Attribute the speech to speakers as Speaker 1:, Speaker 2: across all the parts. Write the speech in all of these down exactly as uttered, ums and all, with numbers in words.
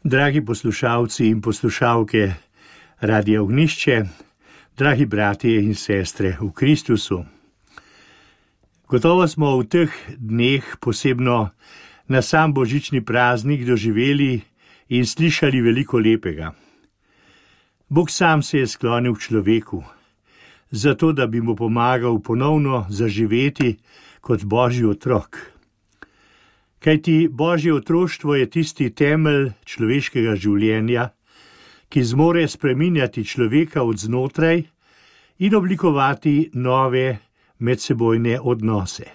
Speaker 1: Dragi poslušalci in poslušalke Radia Ognjišče, dragi bratje in sestre v Kristusu. Gotovo smo v teh dneh, posebno na sam božični praznik, doživeli in slišali veliko lepega. Bog sam se je sklonil k človeku, zato da bi mu pomagal ponovno zaživeti kot Božji otrok. Kajti Božje otroštvo je tisti temelj človeškega življenja, ki zmore spreminjati človeka od znotraj in oblikovati nove medsebojne odnose.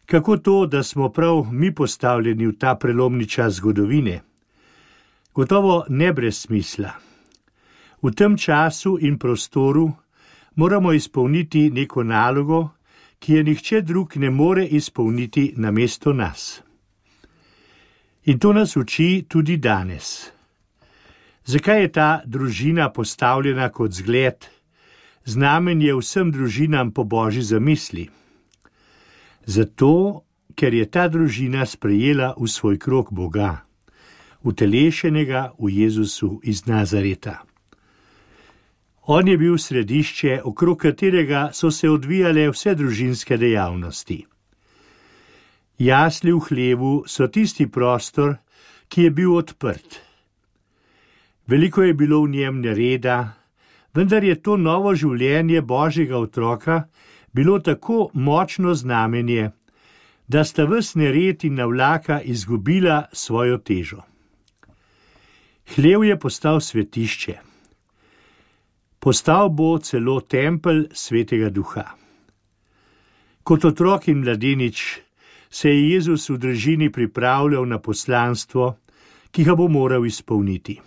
Speaker 1: Kako to, da smo prav mi postavljeni v ta prelomni čas zgodovine? Gotovo ne brez smisla. V tem času in prostoru moramo izpolniti neko nalogo, ki je nihče drug ne more izpolniti namesto nas. In to nas uči tudi danes. Zakaj je ta družina postavljena kot zgled, znamenje vsem družinam po Božji zamisli? Zato, ker je ta družina sprejela v svoj krog Boga, utelešenega v Jezusu iz Nazareta. On je bil središče, okrog katerega so se odvijale vse družinske dejavnosti. Jasli v hlevu so tisti prostor, ki je bil odprt. Veliko je bilo v njem nereda, vendar je to novo življenje Božjega otroka bilo tako močno znamenje, da sta ves nered in navlaka izgubila svojo težo. Hlev je postal svetišče. Postal bo celo tempelj Svetega Duha. Kot otrok in mladenič se je Jezus v družini pripravljal na poslanstvo, ki ga bo moral izpolniti.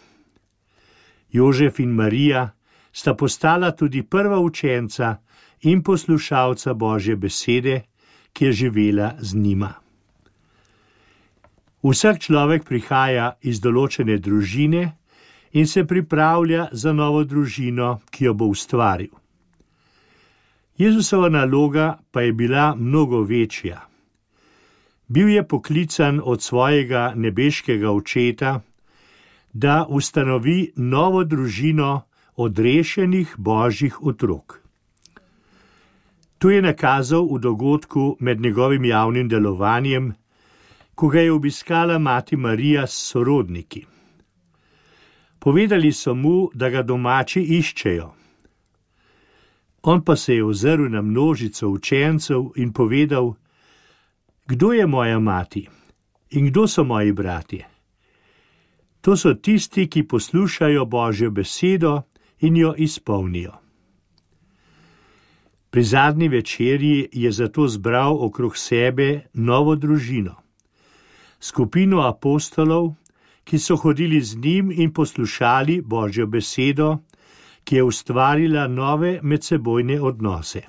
Speaker 1: Jožef in Marija sta postala tudi prva učenca in poslušalca Božje besede, ki je živela z njima. Vsak človek prihaja iz določene družine in se pripravlja za novo družino, ki jo bo ustvaril. Jezusova naloga pa je bila mnogo večja. Bil je poklican od svojega nebeškega očeta, da ustanovi novo družino odrešenih Božjih otrok. To je nakazal v dogodku med njegovim javnim delovanjem, ko ga je obiskala mati Marija s sorodniki. Povedali so mu, da ga domači iščejo. On pa se je ozrl na množico učencev in povedal: Kdo je moja mati in kdo so moji bratje? To so tisti, ki poslušajo Božjo besedo in jo izpolnijo. Pri zadnji večerji je zato zbral okrog sebe novo družino, skupino apostolov, ki so hodili z njim in poslušali Božjo besedo, ki je ustvarila nove medsebojne odnose.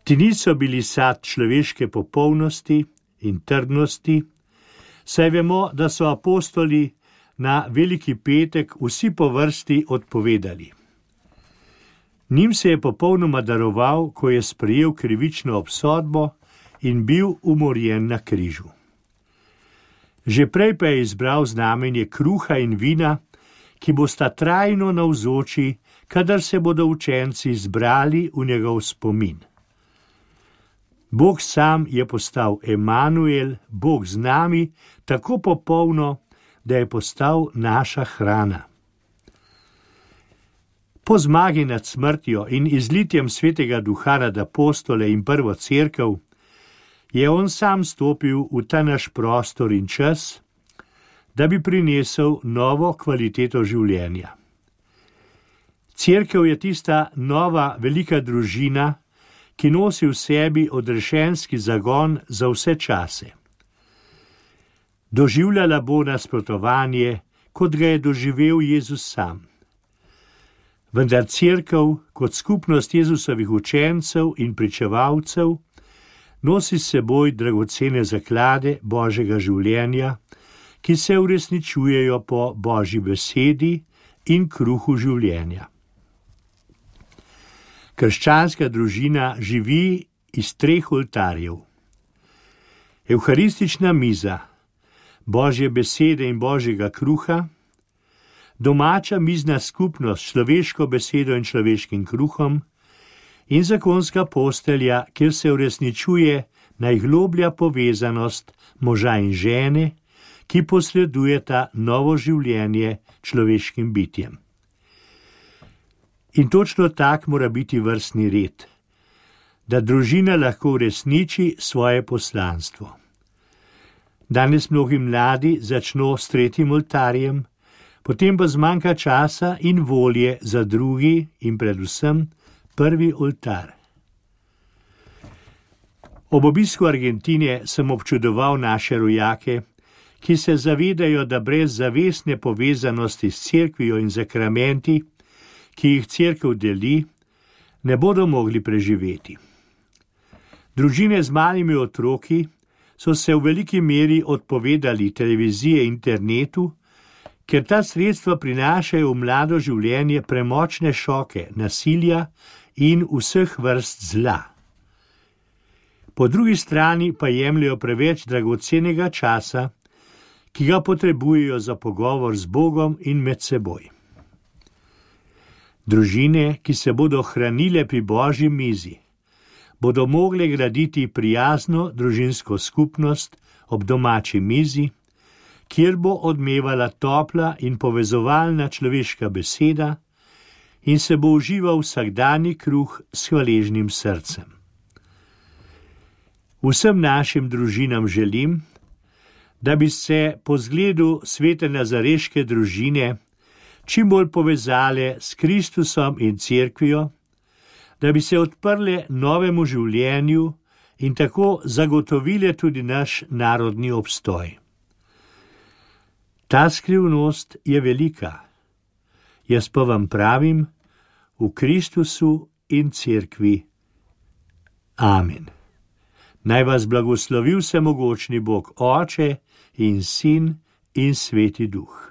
Speaker 1: Ti niso bili sad človeške popolnosti in trdnosti, saj vemo, da so apostoli na Veliki petek vsi po vrsti odpovedali. Njim se je popolnoma daroval, ko je sprejel krivično obsodbo in bil umorjen na križu. Že prej pa je izbral znamenje kruha in vina, ki bosta trajno navzoči, kadar se bodo učenci zbrali v njegov spomin. Bog sam je postal Emanuel, Bog z nami, tako popolno, da je postal naša hrana. Po zmagi nad smrtjo in izlitjem Svetega Duha nad apostole in prvo cerkev je on sam stopil v ta naš prostor in čas, da bi prinesel novo kvaliteto življenja. Cerkev je tista nova velika družina, ki nosi v sebi odrešenski zagon za vse čase. Doživljala bo nasprotovanje, kot ga je doživel Jezus sam. Vendar cerkev, kot skupnost Jezusovih učencev in pričevalcev, nosi s seboj dragocene zaklade Božjega življenja, ki se uresničujejo po Božji besedi in kruhu življenja. Krščanska družina živi iz treh oltarjev. Evharistična miza, Božje besede in Božjega kruha, domača mizna skupnost s človeško besedo in človeškim kruhom in zakonska postelja, kjer se uresničuje najgloblja povezanost moža in žene, ki posredujeta novo življenje človeškim bitjem. In točno tak mora biti vrstni red, da družina lahko uresniči svoje poslanstvo. Danes mnogi mladi začno s tretjim oltarjem, potem pa zmanjka časa in volje za drugi in predvsem prvi oltar. Ob obisku Argentine sem občudoval naše rojake, ki se zavedajo, da brez zavestne povezanosti s cerkvijo in zakramenti, ki jih cerkev deli, ne bodo mogli preživeti. Družine z malimi otroki so se v veliki meri odpovedali televiziji in internetu, ker ta sredstva prinašajo v mlado življenje premočne šoke, nasilja in vseh vrst zla. Po drugi strani pa jemljajo preveč dragocenega časa, ki ga potrebujejo za pogovor z Bogom in med seboj. Družine, ki se bodo hranile pri Božji mizi, bodo mogle graditi prijazno družinsko skupnost ob domači mizi, kjer bo odmevala topla in povezovalna človeška beseda in se bo užival vsakdanji kruh s hvaležnim srcem. Vsem našim družinam želim, da bi se po zgledu svete nazareške družine čim bolj povezale s Kristusom in cerkvijo, da bi se odprle novemu življenju in tako zagotovile tudi naš narodni obstoj. Ta skrivnost je velika. Jaz pa vam pravim, v Kristusu in cerkvi. Amen. Naj vas blagoslovi vsemogočni Bog, Oče in Sin in Sveti Duh.